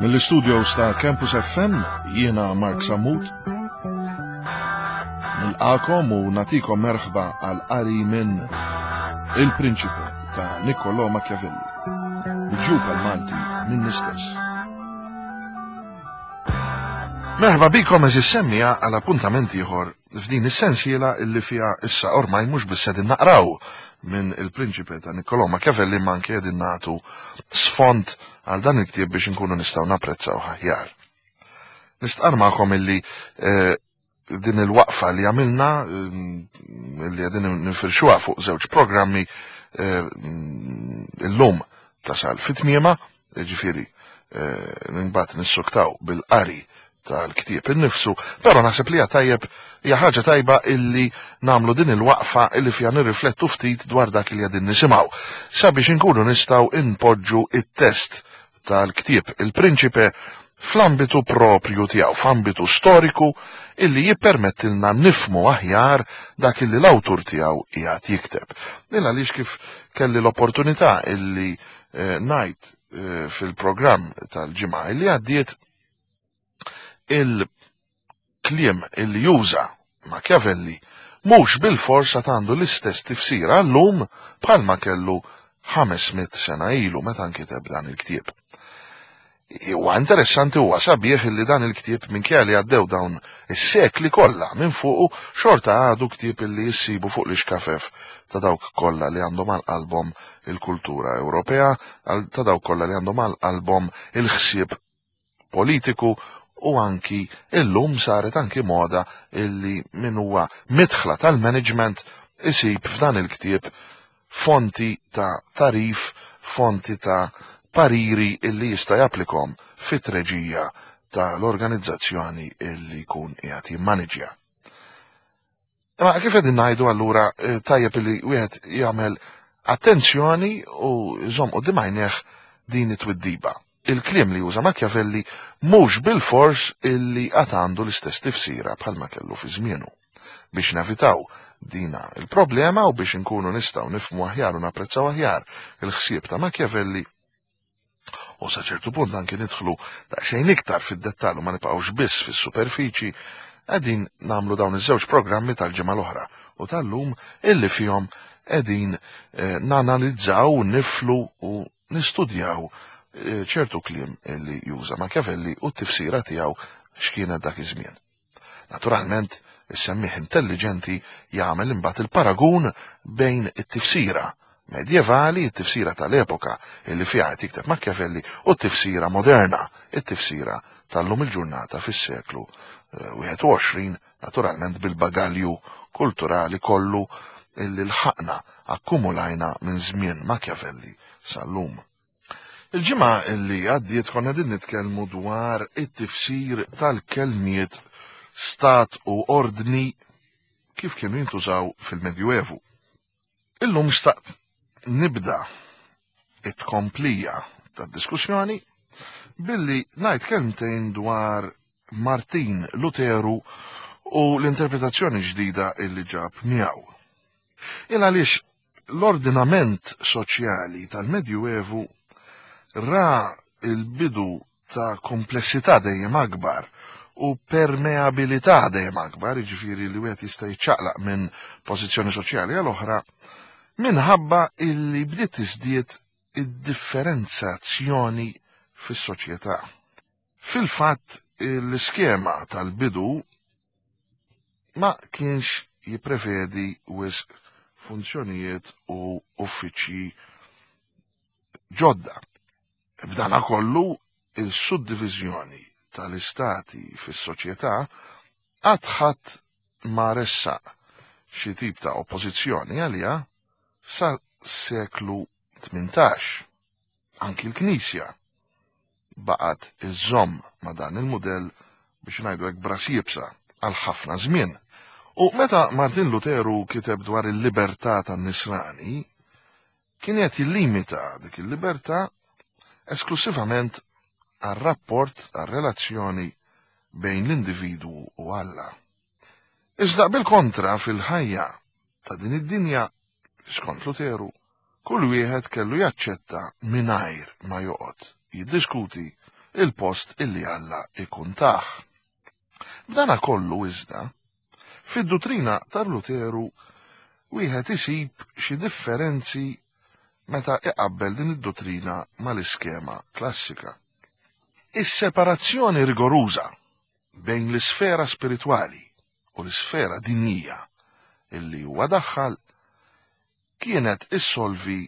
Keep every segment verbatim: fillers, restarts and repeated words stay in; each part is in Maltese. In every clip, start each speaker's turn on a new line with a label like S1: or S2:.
S1: Mill-istudios ta' Campus F M, jiena Mark Sammut. Nilqakom u natikom merħba għal qari minn Il-Prinċipe ta' Niccolò Machiavelli, miġjub għal-Malti minn istess. Merħba bikom eżis semmija għal appuntament ieħor f'din is-sensiela illi fiha issa ormai mhux biss qegħdin naqraw minn Il-Prinċipe ta' Niccolò Machiavelli, ma anke qegħdin nagħtu sfond għal dan il-ktieb biex inkunu nistgħu napprezzaw aħjar. Nistqar magħkom illi, eh, din il-waqfa li għamilna, mm, li qegħdin nifirxuha fuq żewġ programmi, eh, illum tasal fit-tmiema, ġifieri, eh, imbagħad nissuktaw bil-qari tal-ktieb innifsu, però naħseb li hija tajjeb, hija ħaġa tajba illi nagħmlu din il-waqfa illi fiha nirriflettu ftit dwar dak li qegħdin nisimgħu, sabiex inkunu nistgħu inpoġġu it-test tal-ktieb Il-Prinċipe fl-ambitu propju tiegħu, f'ambitu storiku illi jippermettilna nifmu aħjar dak illi l-awtur tiegħu qiegħed jikteb. Din għaliex kif kelli l-opportunità illi, eh, ngħid, eh, fil-programm tal-ġimgħa illi għaddiet, il-kliem illi juża Machiavelli mhux bil-forsa għandu l-istess tifsira llum bħalma kellu ħames mitt sena ilu meta nkiteb dan il-ktieb. Huwa interessanti, huwa sabiħ illi dan il-ktieb minkejja li għaddew dawn is-sekli kollha minn fuqu xorta għadu ktieb illi jissibu fuq l-ixkafef ta' dawk kollha li għandhom għal qalbhom il-kultura Ewropea, għal-, ta' dawk kollha li għandhom għal qalbhom il-ħsieb politiku, u anki illum saret anki moda illi min huwa midħla tal-management isib f'dan il-ktieb fonti ta' tarif, fonti ta' pariri illi jista' japplikom fit-treġija tal-organizzazzjoni illi jkun qiegħed jimmaniġja. Imma kif qegħdin ngħidu allura, eh, tajjeb illi wieħed jagħmel attenzjoni u jżomm quddiem għajnejh din it-twiddiba. Il-kliem li juża Machiavelli mhux bil-fors illi għad għandu l-istess tifsira bħalma kellu fi żmienu. Biex nevitaw dina il-problema u biex inkunu nistgħu nifhmu aħjar u napprezzaw aħjar il-ħsieb ta' Machiavelli, u sa ċertu punt anke nidħlu daqsxejn iktar fid-dettall u ma nibqgħux biss fis-superfiċi, qegħdin nagħmlu dawn iż-żewġ programmi tal-ġimgħa l-oħra u tal-lum illi fihom qegħdin, eh, nanalizzaw, niflu u nistudjaw, eh, ċertu kliem illi juża Machiavelli u t-tifsira tiegħu x'kienet dak iż-żmien. Naturalment, is-semmieħ intelligenti jagħmel imbagħad il-paragun bejn it-tifsira medjevali, it-tifsira tal-epoka illi fiha qed jikteb Machiavelli, u t-tifsira moderna, it-tifsira tal-lum il-ġurnata fis-seklu, eh, wieħed u għoxrin, naturalment bil-bagalju kulturali kollu illi lħaqna akkumulajna minn żmien Machiavelli sal-lum. Il-ġimgħa illi għaddiet konna din nitkellmu dwar it-tifsir tal-kelmiet stat u ordni kif kienu jintużaw fil-Medjuevu. Illum xtaqt nibda it-tkomplija tad-diskussjoni billi ngħid kelmtejn dwar Martin Luteru u l-interpretazzjoni ġdida illi ġab miegħu. Il għaliex l-ordinament soċjali tal-Medjuevu ra il-bidu ta' komplessità dejjem akbar u permeabilità dejjem akbar, jiġifieri li wieħed jista' jiċċaqlaq minn pożizzjoni soċjali għal oħra, minħabba illi bdiet tiżdied id-differenzazzjoni fis-soċjetà. Fil-fatt, l-iskema tal-bidu ma kienx jipprevedi wisq funzjonijiet u uffiċċji ġodda. B'dana kollu, il-suddiviżjoni tal-istati fis-soċjetà qatt ħadd ma ressaq xi tip ta' oppożizzjoni għaliha sa seklu tmintax. Anki l-Knisja baqgħet iżżomm ma' dan il-mudell biex ngħidu hekk bras iebsa għal ħafna żmien. U meta Martin Luteru kiteb dwar il-libertà tan-Nisrani, kien qed jillimita dik il-libertà esklusivament għar-rapport, għar-relazzjoni bejn l-individwu u Alla. Iżda bil-kontra fil-ħajja ta' din id-dinja, skont Luteru, kull wieħed kellu jaċċetta mingħajr ma joqgħod jiddiskuti il-post illi Alla ikun tah. B'dana kollu iżda, fid-duttrina tal-Luteru wieħed isib xi differenzi meta iqabbel din id-duttrina mal-iskema klassika. Is-separazzjoni rigoruża bejn l-isfera spiritwali u l-isfera dinjija illi huwa daħħal kienet issolvi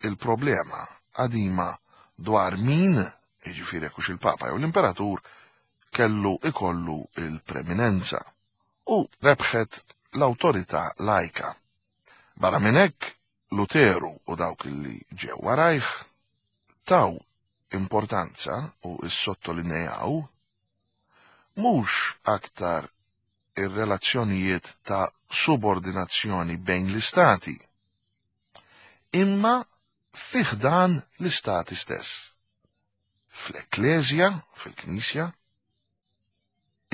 S1: il-problema qadima dwar min, jiġifieri jekk hux il-Papa jew l-Imperatur, kellu ikollu il-preminenza u rebħet l-awtorità lajka. Barra minn hekk, Luteru u dawk li ġew warajh taw importanza u issottolinjaw mhux aktar ir-relazzjonijiet ta' subordinazzjoni bejn l-istati, imma fi ħdan l-istati stess. Fl-Ekkleżja, fil-Knisja,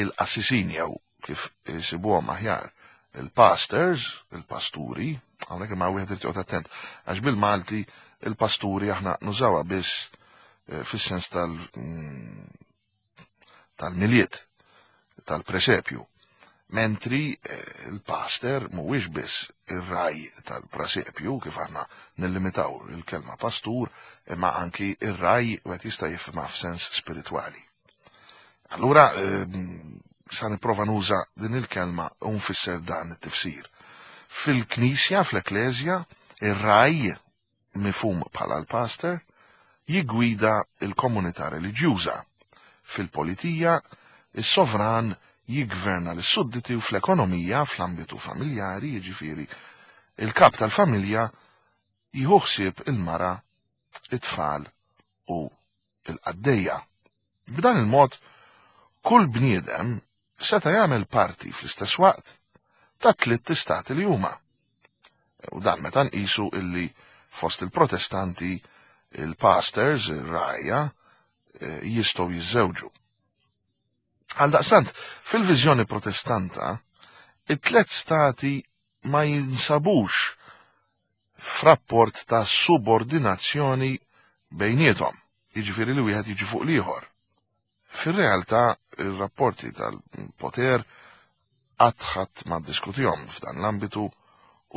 S1: il-qassisin jew kif isibuhom aħjar, il-pastors, il-pasturi, hawnhekk imma wieħed irid joqgħod attent, għax bil-Malti il-pasturi aħna nużawha biss eh, fis-sens tal- mm, tal-Milied, tal-presepju. Mentri eh, il-pastor mhuwiex biss ir-ragħaj tal-presepju, kif aħna nillimitaw il-kelma pastur, imma anki ir-ragħaj wieħed jista' jifhimha f'sens spiritwali. Allura, ehm, sa nipprova nuża din il-kelma u nfisser dan it-tifsir. Fil-Knisja, fl-Ekkleżja, ir-ragħaj mifhum bħala l-pastor jigwida il-komunità reliġjuża. Fil-politija, is-sovran jigverna l-sudditi u fl-ekonomija, fl-ambitu familjari, jiġifieri il-kap tal-familja jieħu ħsieb il-mara, it-tfal u il-qaddejja. B'dan il-mod, kull bniedem seta' jagħmel parti fl-istess waqt ta' tliet istati li huma. U dan meta nqisu illi fost il-Protestanti il-pastors, ir-rgħajja, eh, jistgħu jiżżewġu. Għaldaqstant, fil-viżjoni protestanta, it-tlet stati ma jinsabux f'rapport ta' subordinazzjoni bejniethom, jiġifieri li wieħed jiġi fuq l-ieħor. Fir-realtà, ir-rapporti tal-poter qatt ħadd ma ddiskutihom f'dan l-ambitu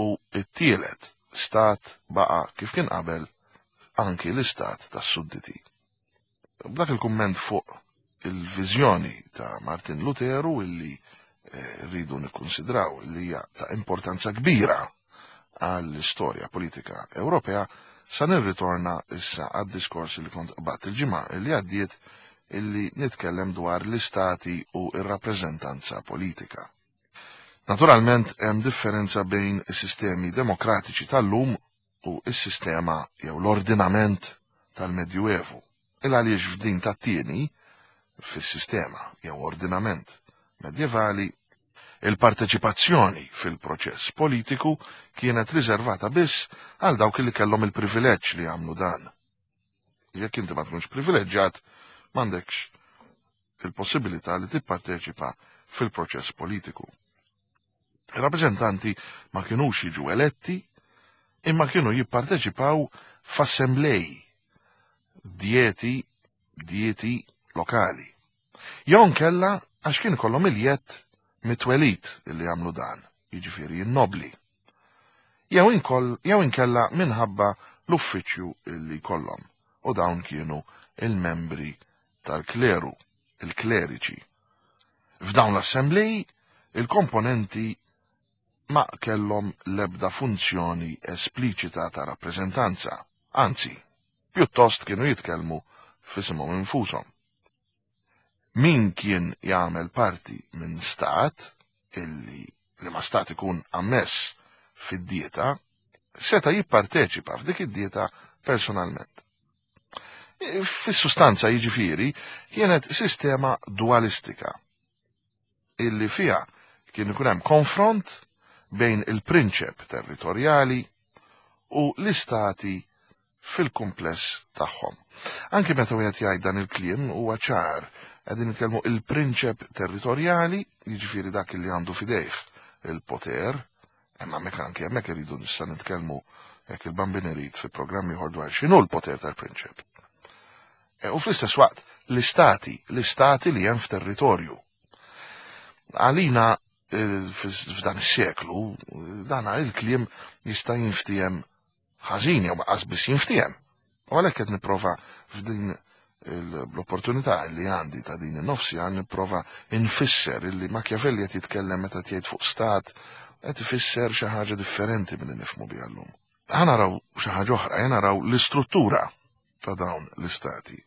S1: u t-tielet stat baqa' kif kien qabel anki l-istat tas-sudditi. B'dak il-kumment fuq il-viżjoni ta' Martin Luteru illi eh, rridu nikkonsidraw li hija ta' importanza kbira għall-istorja politika Ewropea, sa nirritorna issa għad-diskors li kont qbadt il-ġimgħa li għaddiet illi nitkellem dwar l-istati u ir-rappreżentanza politika. Naturalment hemm differenza bejn is-sistemi demokratiċi tal-lum u s-sistema jew l-ordinament tal-Medjuevu. Il għaliex f'din tat-tieni, fis-sistema jew ordinament medjevali, il-parteċipazzjoni fil-proċess politiku kienet riservata biss għal dawk li kellhom il-privileġġ li jagħmlu dan. Jekk inti ma tkunx privileġġjat, m'għandekx il-possibilità li tipparteċipa fil-proċess politiku. Il-rappreżentanti ma kinux jiġu eletti, imma kienu jipparteċipaw f'assemblej, dieti, dieti lokali. Jew nkella għax kien kollhom il-jett mit-twelid illi jagħmlu dan, jiġifieri n-nobli. Jew inkoll, jew inkella minħabba l-uffiċċju illi kollhom, u dawn kienu il-membri tal-kleru, il-kleriċi. F'dawn l-assemblej, il-komponenti ma kellhom l-ebda funzjoni espliċita ta' rappreżentanza, anzi, pjuttost kienu jitkellmu f'isimhom infushom. Min kien jagħmel parti minn stat illi li ma stat ikun ammess fid-dieta, seta' jipparteċipa f'dik id-dieta personalment. Fis-sustanza jiġifieri kienet sistema dualistika illi fiha kien ikun hemm konfront bejn il-prinċep territorjali u l-istati fil-kumpless tagħhom. Anki meta wieħed jgħid dan il-kliem huwa ċar, qegħdin nitkellmu il-prinċep territorjali, jiġifieri dak li għandu fidejh il-poter, imma hemmhekk anke hemmhekk iridu nista' nitkellmu jekk il-Bambin irid fi programm ieħor dwar x'inhu l-poter tal-prinċep. U fl-istess waqt l-istati, l-istati li hemm f'territorju. Għalina f'dan is-seklu, dan il-kliem jista' jinftiehem ħażin jew qas biss jinftiehem. U għalhekk qed nipprova f'din l-opportunità li għandi ta' din in-nofsi għan nipprova nfisser illi Machiavelli qed jitkellem meta tgħid fuq stat qed ifisser xi ħaġa differenti milli nifhmu biha llum. Ħa naraw xi ħaġa oħra, ħa naraw l-istruttura ta' dawn l-istati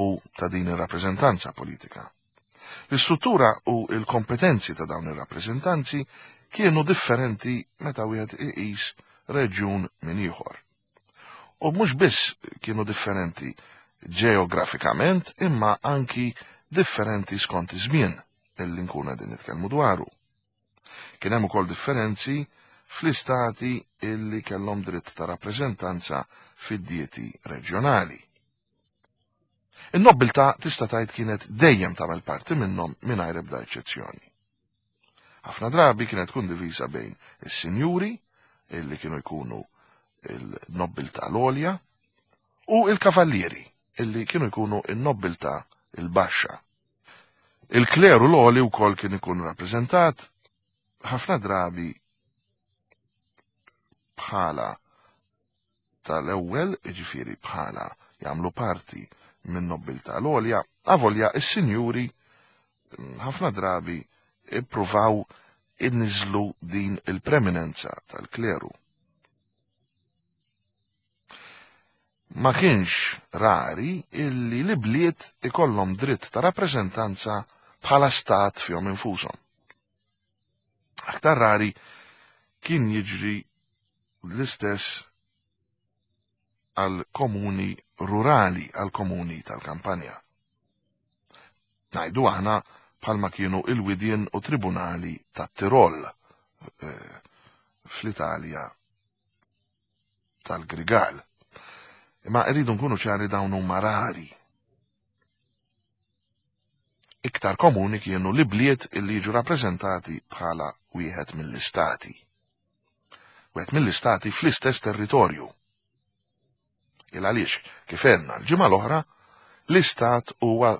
S1: u ta' din ir-rappreżentanza politika. L-istruttura u l-kompetenzi ta' dawn ir-rappreżentanzi kienu differenti meta wieħed iqis reġjun minn ieħor. U mhux biss kienu differenti ġeografikament, imma anki differenti skont iż-żmien illi nkunu qegħdin nitkellmu dwaru. Kien hemm ukoll differenzi fl-istati illi kellhom dritt ta' rappreżentanza fid-dieti reġjonali. In-nobbiltà tista' tgħid kienet dejjem tagħmel parti minnhom mingħajr ebda eċċezzjoni. Ħafna drabi kienet tkun divisa bejn is-sinjuri, illi kienu jkunu il-nobbiltà l-għolja, u il-kavallieri, illi kienu jkunu il-nobbiltà il-baxxa. Il-kleru l-għoli wkoll kien ikun rappreżentat ħafna drabi bħala tal-ewwel, jiġifieri bħala jagħmlu parti minn nobbiltà l-għolja, avolja is-sinjuri ħafna drabi ippruvaw inniżlu din il-preminenza tal-kleru. Ma kienx rari illi l-bliet ikollhom dritt ta' rappreżentanza bħala stat fihom infushom. Aktar rari kien jiġri l-istess għal komuni rurali, għal komuni tal-kampanja. Ngħidu aħna bħalma kienu il-widien u tribunali tat-Tirol eh, fl-Italja tal-Grigal. Imma rridu nkunu ċari dawn huma rari. Iktar komuni kienu l-bliet illi jiġu rappreżentati bħala wieħed mill-istati. Wieħed mill-istati fl-istess territorju. Il għaliex, kif għedna l-ġimgħa l-oħra, l-istat huwa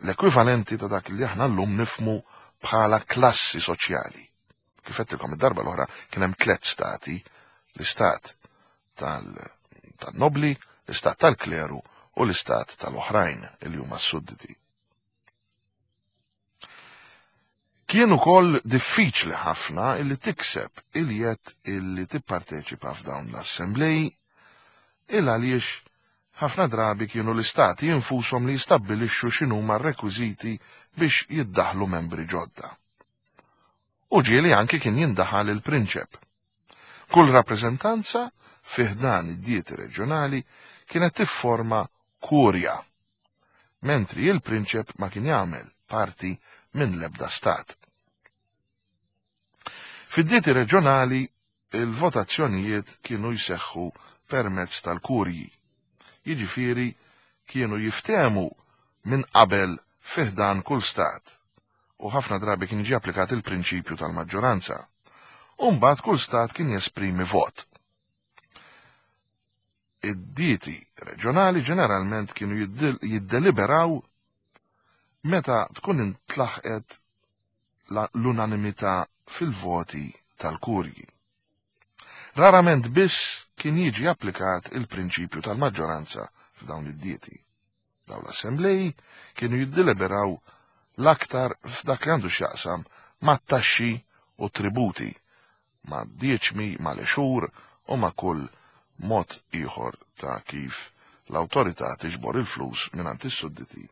S1: l-ekwivalenti ta' dak li aħna llum nifmu bħala klassi soċjali. Kif għedtilkom id-darba l-oħra kien hemm tliet stati, l-istat tal-nobli, l-istat tal-kleru u l-istat tal-oħrajn li huma s-sudditi. Kien ukoll diffiċli ħafna illi tikseb il-jett illi tipparteċipa f'dawn l-assembleji, il għaliex ħafna drabi kienu l-istati infushom li jistabbilixxu x'inhuma r-rekwiżiti biex jiddaħlu membri ġodda. U ġieli anki kien jindaħal il-prinċep. Kull rappreżentanza fi ħdan id-dieti reġjonali kienet tifforma kurja, mentri il-prinċep ma kien jagħmel parti minn l-ebda stat. Fid-dieti reġjonali il-votazzjonijiet kienu jseħħu permezz tal-kurji. Jiġifieri kienu jiftehmu minn qabel fi ħdan kull stat, u ħafna drabi kien jiġi applikat il-prinċipju tal-maġġoranza. U mbagħad kull stat kien jesprimi vot. Id-dieti reġjonali ġeneralment kienu jiddeliberaw meta tkun intlaħqet l-unanimità fil-voti tal-kurji. Rarament biss kien jiġi applikat il-prinċipju tal-maġġoranza f'dawn id-dieti. Dawn l-assembleji kienu jiddeliberaw l-aktar f'dak li għandu x'jaqsam mat-taxxi u tributi, ma' dieċmi, ma' l-exur u ma' kull mod ieħor ta' kif l-awtorità tiġbor il-flus mingħand is-sudditi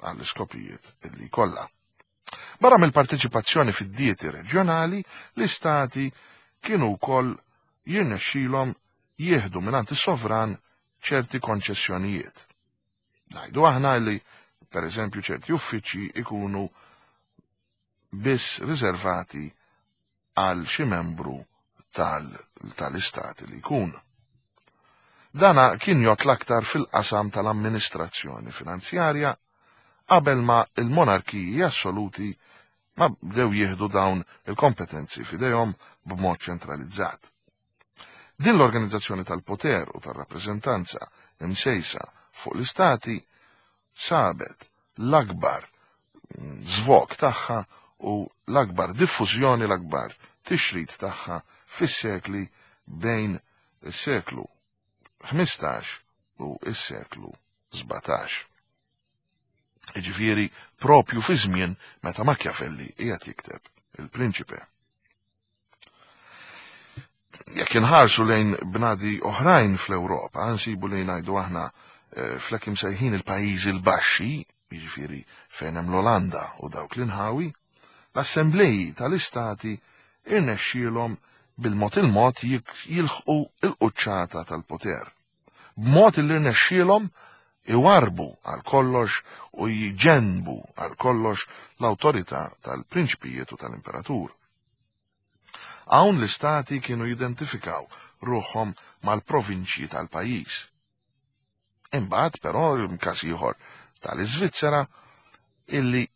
S1: għall-iskopijiet illi kollha. Barra mill-parteċipazzjoni fid-dieti reġjonali, l-istati kienu wkoll jirnexxilhom jieħdu mingħand is-sovran ċerti konċessjonijiet. Ngħidu aħna li, per eżempju, ċerti uffiċċji ikunu biss riservati għal xi membru tal-istat li jkun. Dana kien jgħod l-aktar fil-qasam tal-amministrazzjoni finanzjarja qabel ma il-monarkiji assoluti ma bdew jieħdu dawn il-kompetenzi f'idejhom b'mod ċentralizzat. Din l-organizzazzjoni tal-poter u tal-rappreżentanza imsejsa fuq l-istati sabet l-akbar żvok tagħha u l-akbar diffużjoni, l-akbar tixrid tagħha fis-sekli bejn is-seklu ħmistax u s-seklu sbatax. Jiġifieri propju fi żmien meta Machiavelli qiegħed jikteb Il-Prinċipe. Jekk inħarsu lejn bnadi oħrajn fl-Ewropa, nsibu li ngħidu aħna flek imsejħin il-pajjiżi l-baxxi, jiġifieri fejn hemm l-Olanda u dawk l-inħawi, l-assembleji tal-istati irnexxielhom bil-mod il-mod jilħqu l-quċċata tal-poter. B'mod li rnexxielhom iwarbu għal kollox u jġenbu għal kollox l-awtorità tal-prinċpijiet u tal-imperatur. Hawn l-istati kienu jidentifikaw ruħhom mal-provinċji tal-pajjiż. Imbagħad però każ ieħor tal-Iżvizzera illi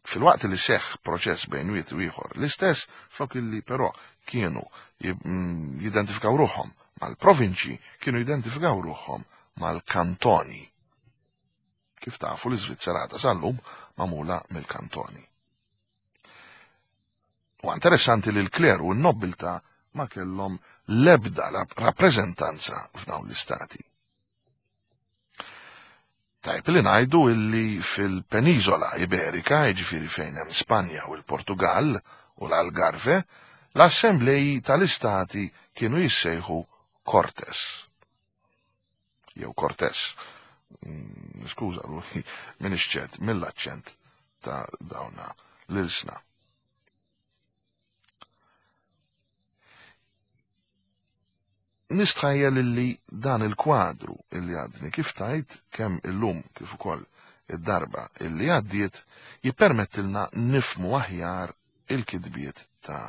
S1: fil-waqt li seħħ proċess bejn wieħed u ieħor l-istess, flok illi però kienu jidentifikaw ruħhom mal-provinċji, kienu jidentifikaw ruħhom mal-kantoni. Kif tafu l-Iżvizzera għadha sal-lum magħmula mill-kantoni. U interessanti li l-kleru u n-nobiltà ma kellhom l-ebda rappreżentanza f'dawn l-istati. Tajb li ngħidu illi fil-Peniżola Iberika, jiġifieri fejn hemm Spanja u l-Portugal u l-Algarve, l-assembleji tal-istati kienu jissejħu Cortes. Jew Cortes. Skuża ruħi m'iniex ċert mill-aċċent ta' dawna l-ilsna. Nistħajjel illi dan il-kwadru illi għadni kif tajt kemm illum kif ukoll id-darba illi għaddiet jippermettilna nifmu aħjar il-kitbiet ta'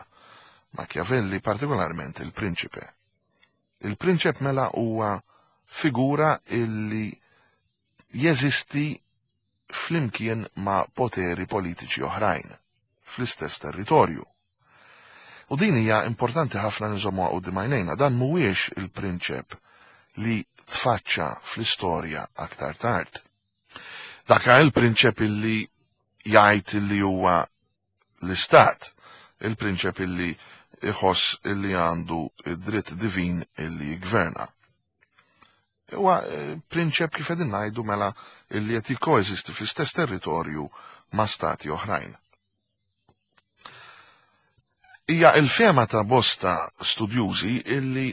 S1: Machiavelli, partikolarment il-Prinċipe. Il-Prinċep mela huwa figura illi jeżisti flimkien ma' poteri politiċi oħrajn fl-istess territorju. U din hija importanti ħafna nżommuha quddiem għajnejna, dan mhuwiex il-prinċep li tfaċċa fl-istorja aktar tard. Dak il-prinċep illi jgħid illi huwa l-istat, il-prinċep illi iħoss illi għandu id-dritt divin illi jgverna. Huwa prinċep kif qegħdin ngħidu mela illi qed jikkoeżisti fl-istess territorju ma' stati oħrajn. Hija il-fema ta' bosta studjużi illi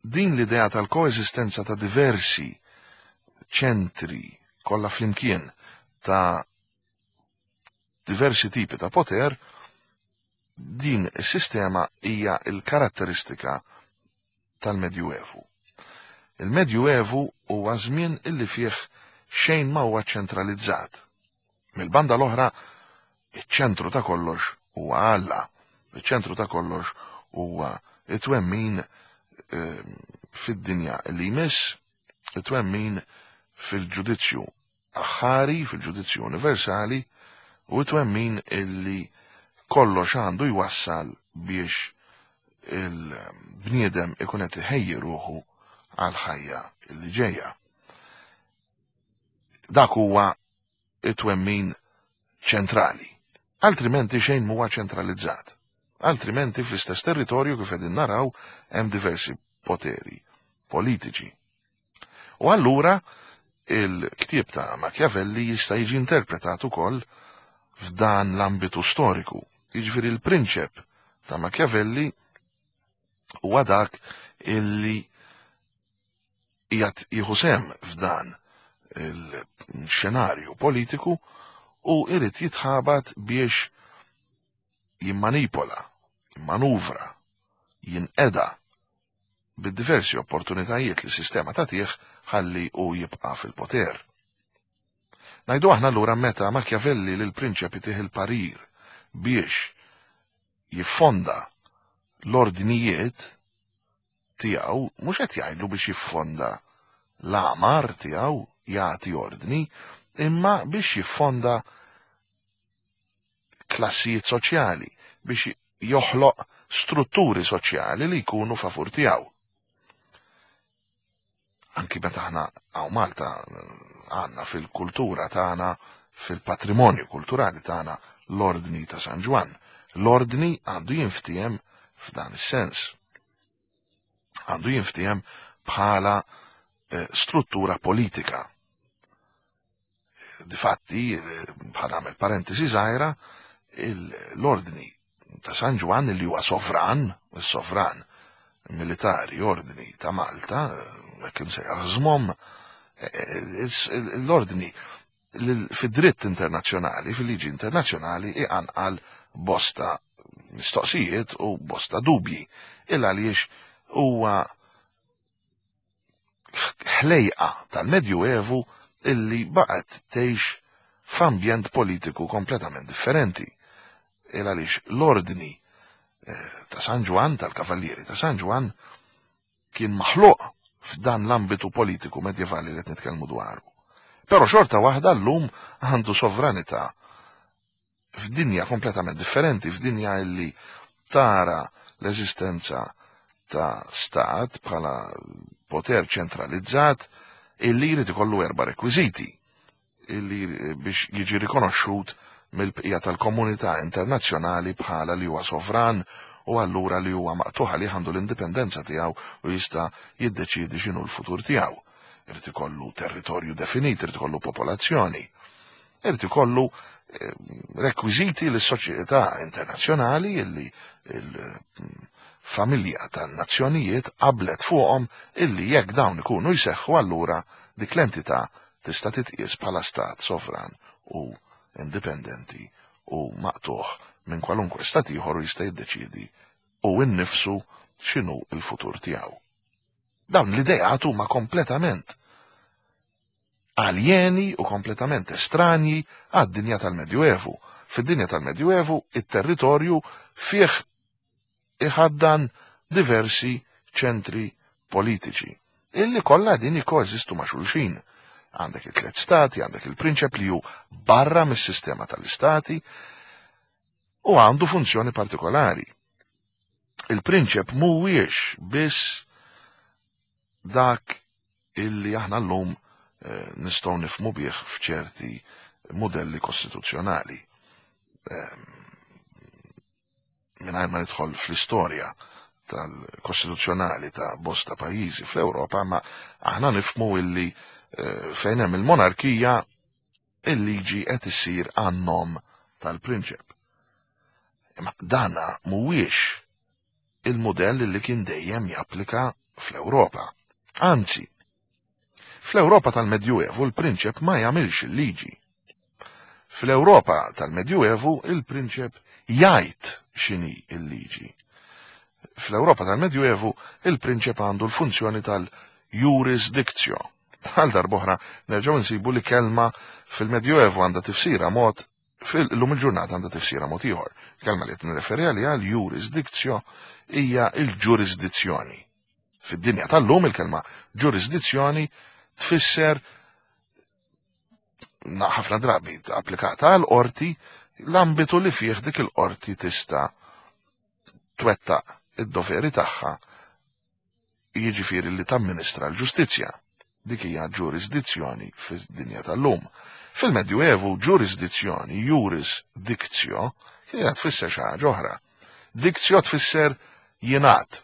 S1: din l-idea tal-koeżistenza ta' diversi ċentri kollha flimkien ta' diversi tipi ta' poter, din is-sistema hija l-karatteristika tal-Medjuevu. Il-Medjuevu huwa żmien illi fih xejn ma huwa ċentralizzat. Mill-banda l-oħra, iċ-ċentru ta' kollox huwa Alla. Iċ-ċentru ta' kollox huwa it-twemmin fid-dinja li jmiss, it-twemmin fil-ġudizzju aħħari, fil-ġudizzju universali, u it-twemmin illi kollox għandu jwassal biex il-bniedem ikun qed iħejji ruħu għal ħajja li ġejja. Dak huwa it-twemmin ċentrali. Altrimenti xejn huwa ċentralizzat. Altrimenti fl-istess territorju kif qegħdin naraw hemm diversi poteri politiċi. U allura il-ktieb ta' Machiavelli jista' jiġi interpretat ukoll f'dan l-ambitu storiku. Jiġifieri l-prinċep ta' Machiavelli huwa dak illi qiegħed jieħu sehem f'dan il-xenarju politiku u irid jitħabat biex jimmanipola, jimmanuvra, jinqeda bid-diversi opportunitajiet li sistema tagħtih ħalli u jibqa' fil-poter. Ngħidu aħna allura meta Machiavelli lil prinċep itih il-parir biex jiffonda l-ordnijiet tiegħu, mhux qed jgħidlu biex jiffonda l-għamar tiegħu jagħti ordni, imma biex jiffonda klassijiet soċjali, biex joħloq strutturi soċjali li jkunu favur tiegħu. Anki meta aħna hawn Malta għandna fil-kultura tagħna, fil-patrimonju kulturali tagħna, l-Ordni ta' San Ġwann. L-ordni għandu jinftiehem f'dan is-sens. Għandu jinftiehem bħala eh, struttura politika. Difatti, eh, bħala għamel parentesi żgħira, l-Ordni ta' San Ġwann li huwa sovran, is-sovran militari ordni ta' Malta, hekk imsejjaħ żmom, l-ordni fid-dritt internazzjonali, fil-liġi internazzjonali, iqanqal bosta mistoqsijiet u bosta dubji. Il għaliex huwa ħlejqa tal-Medjuevu illi baqgħet tgħix f'ambjent politiku kompletament differenti. Il għaliex l-ordni ta' San Ġwann, tal-Kavallieri ta' San Ġwann, kien maħluq f'dan l-ambitu politiku medjevali li qed nitkellmu dwaru. Però xorta waħda llum għandu sovranità f'dinja kompletament differenti, f'dinja illi tara l-eżistenza ta' stat bħala poter ċentralizzat illi jrid ikollu erba' rekwiżiti illi biex jiġi rikonoxxut mill-bqija tal-komunità internazzjonali bħala li huwa sovran u allura li huwa maqtuħ li għandu l-indipendenza tiegħu u jista' jiddeċiedi x'inhu l-futur tiegħu. Irid ikollu territorju definit, irid ikollu popolazzjoni, irid ikollu rekwiżiti lis soċjetà internazzjonali illi il-familja tan-nazzjonijiet qablet fuqhom illi jekk dawn ikunu jseħħu allura dik l-entità tista' titqies bħala stat sovran u indipendenti u maqtuħ minn kwalunkwe stat ieħor u jista' jiddeċiedi u innifsu x'inhu l-futur tiegħu. Dawn l-ideat huma kompletament aljeni u kompletament estranji għad-dinja tal-Medjuevu. Fid-dinja tal-Medjuevu, it-territorju fih iħaddan diversi ċentri politiċi, illi kollha din jikkoeżistu ma' xulxin. Għandek it-tliet stati, għandek il-prinċep li hu barra mis-sistema tal-istati u għandu funzjoni partikolari. Il-prinċep mhuwiex biss dak illi aħna llum eh, nistgħu nifhmu bih f'ċerti modelli kostituzzjonali. Mingħajr ma nidħol fl-istorja tal-kostituzzjonali ta' bosta pajjiżi fl-Ewropa, ma aħna nifhmu illi eh, fejn hemm il-monarkija il-liġi qed issir għan-nom tal-prinċep. Imma dana mhuwiex il-modell li kien dejjem japplika fl-Ewropa. Anzi, fl-Ewropa tal-Medjuevu l-prinċep ma jagħmilx il-liġi. Fl-Ewropa tal-Medjuevu il-prinċep jgħid x'inhi l-liġi. Fl-Ewropa tal-Medjuevu il-prinċep għandu l-funzjoni tal-jurisdictio. Għal darb'oħra nerġgħu nsibu li kelma fil-Medjuevu għandha tifsira mod, fil-lum il-ġurnata għandha tifsira mod ieħor. Kelma li qed nirreferi għaliha l-jurisdictio hija l-ġurisdizzjoni. Fid-dinja tal-lum il-kelma ġurisdizzjoni tfisser ħafna drabi applikata għal qorti l-ambitu li fih dik il-qorti tista' twettaq id-doveri tagħha, jiġifieri li tamministra l-ġustizzja. Dik hija ġurisdizzjoni fid-dinja tal-lum. Fil-Medjuevu ġurisdizzjoni, jurisdictio, kienet tfisser xi ħaġa oħra. Dictio tfisser jingħad.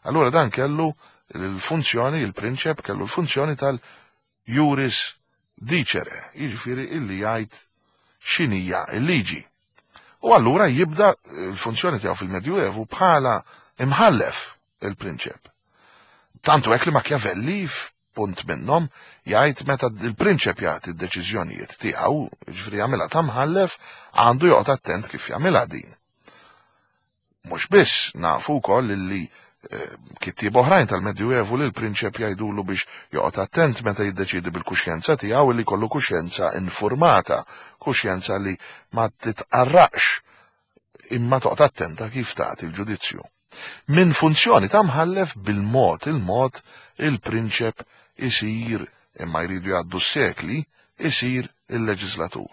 S1: Allura dan kellu l-funzjoni, il-prinċep kellu l-funzjoni tal-juris dicere, jiġifieri illi jgħid x'inhija l-liġi. U allura jibda l-funzjoni tiegħu fil-Medjuevu bħala imħallef il-prinċep. Tantu hekk li Machiavelli f'punt minnhom jgħid meta il-prinċep jagħti d-deċiżjonijiet tiegħu, jiġifieri jagħmilha ta' mħallef, għandu joqgħod attent kif jagħmilha din. Mhux biss nafu wkoll illi kittieb oħrajn tal-Medjuevu li l-prinċep jgħidulu biex joqgħod attent meta jiddeċiedi bil-kuxjenza tiegħu li jkollu kuxjenza informata, kuxjenza li ma titqarraqx imma toqgħod attenta kif tagħti l-ġudizzju. Minn funzjoni ta' mħallef bil-mod il-mod il-prinċep isir, imma jridu jgħaddu s-sekli, isir il-leġislatur.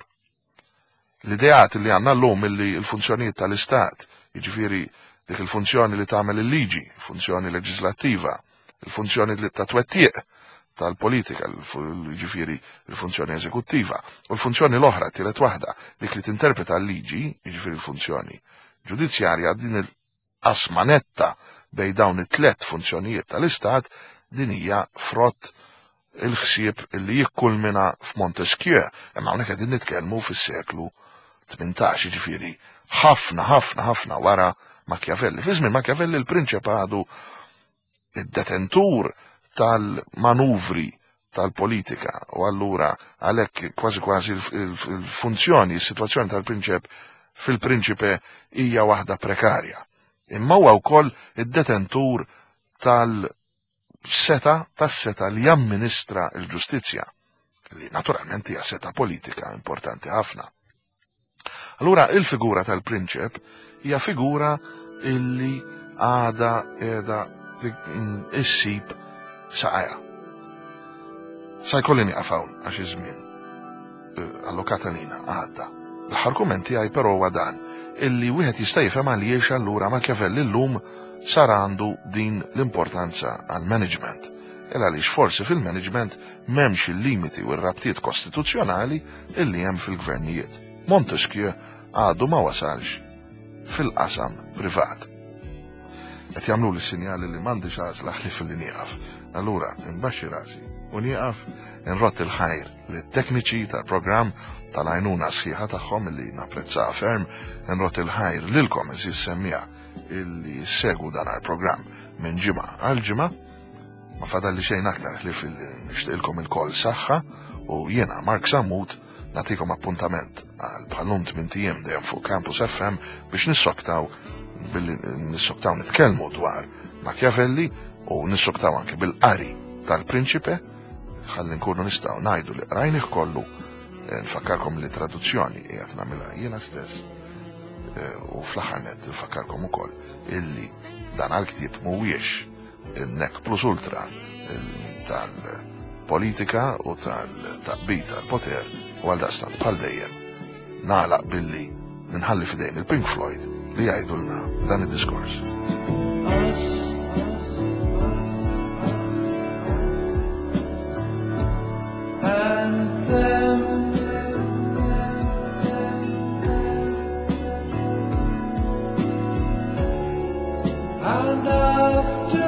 S1: L-ideat li għandna llum illi l-funzjonijiet tal-istat, jiġifieri dik il-funzjoni li tagħmel il-liġi, funzjoni leġislattiva, il-funzjoni li ta' twettiq tal-politika, jiġifieri l-funzjoni eżekuttiva, u l-funzjoni l-oħra, tielet waħda, dik li tinterpreta l-liġi, jiġifieri l-funzjoni ġudizzjarja, din il-qasma netta bejn dawn it-tlet funzjonijiet tal-Istat, din hija frott il-ħsieb li jikkulmina f'Montesquieu, imma hawnhekk qegħdin nitkellmu fis-seklu tmintax, jiġifieri ħafna, ħafna, ħafna wara Machiavelli. Fi żmien Machiavelli l-prinċep għadu id-detentur tal-manuvri tal-politika, u allura għalhekk kważi kważi il-funzjoni, is-sitwazzjoni tal-prinċep fil-prinċipe hija waħda prekarja. Imma huwa wkoll id-detentur tal-seta, tas-seta li jamministra l-ġustizzja, li naturalment hija seta politika importanti ħafna. Allura il-figura tal-prinċep hija figura illi għada qiegħda issib saqajha. Sa jkolli nieqaf hawn għax iż-żmien allokat għalina għadda. L-aħħar kumment tiegħi però huwa dan, illi wieħed jista' jifhem għaliex allura Machiavelli llum sar għandu din l-importanza għall-management. Il għaliex forsi fil-management m'hemmx il-limiti u r-rabtiet kostituzzjonali illi hemm fil-gvernijiet. Montesquieu għadu ma wasalx fil-qasam privat. Qed jagħmlu li sinjali li m'għandix għażla ħlief li nieqaf. Allura nbaxxi rasi u nieqaf, nrott il-ħajr lit-tekniċi tal-programm tal-għajnuna sħiħa tagħhom li napprezzaha ferm, nrott il-ħajr lilkom għeżież semmiegħa illi segwu dan il-programm minn ġimgħa għal ġimgħa. Ma fadalli xejn aktar ħlief li nixtieqilkom ilkoll saħħa, u jiena Mark Sammut nagħtikom appuntament għal bħalum tmien ijiem dejjem fuq Campus F M biex nissoktaw billi nissoktaw nitkellmu dwar Machiavelli u nissoktaw anke bil-qari tal-Prinċipe, ħalli nkunu nistgħu ngħidu li qrajnih kollu. Nfakkarkom li traduzzjoni qiegħed nagħmilha jiena stess, u fl-aħħar nett nfakkarkom ukoll illi dan għall-ktieb mhuwiex il-nec plus ultra tal-politika u tal-taqbid tal-poter, u għal daqstant bħal dejjem nagħlaq billi nħalli f'idejn il-Pink Floyd li jgħidulna dan id-diskors.
S2: Us, us, us, and them. And after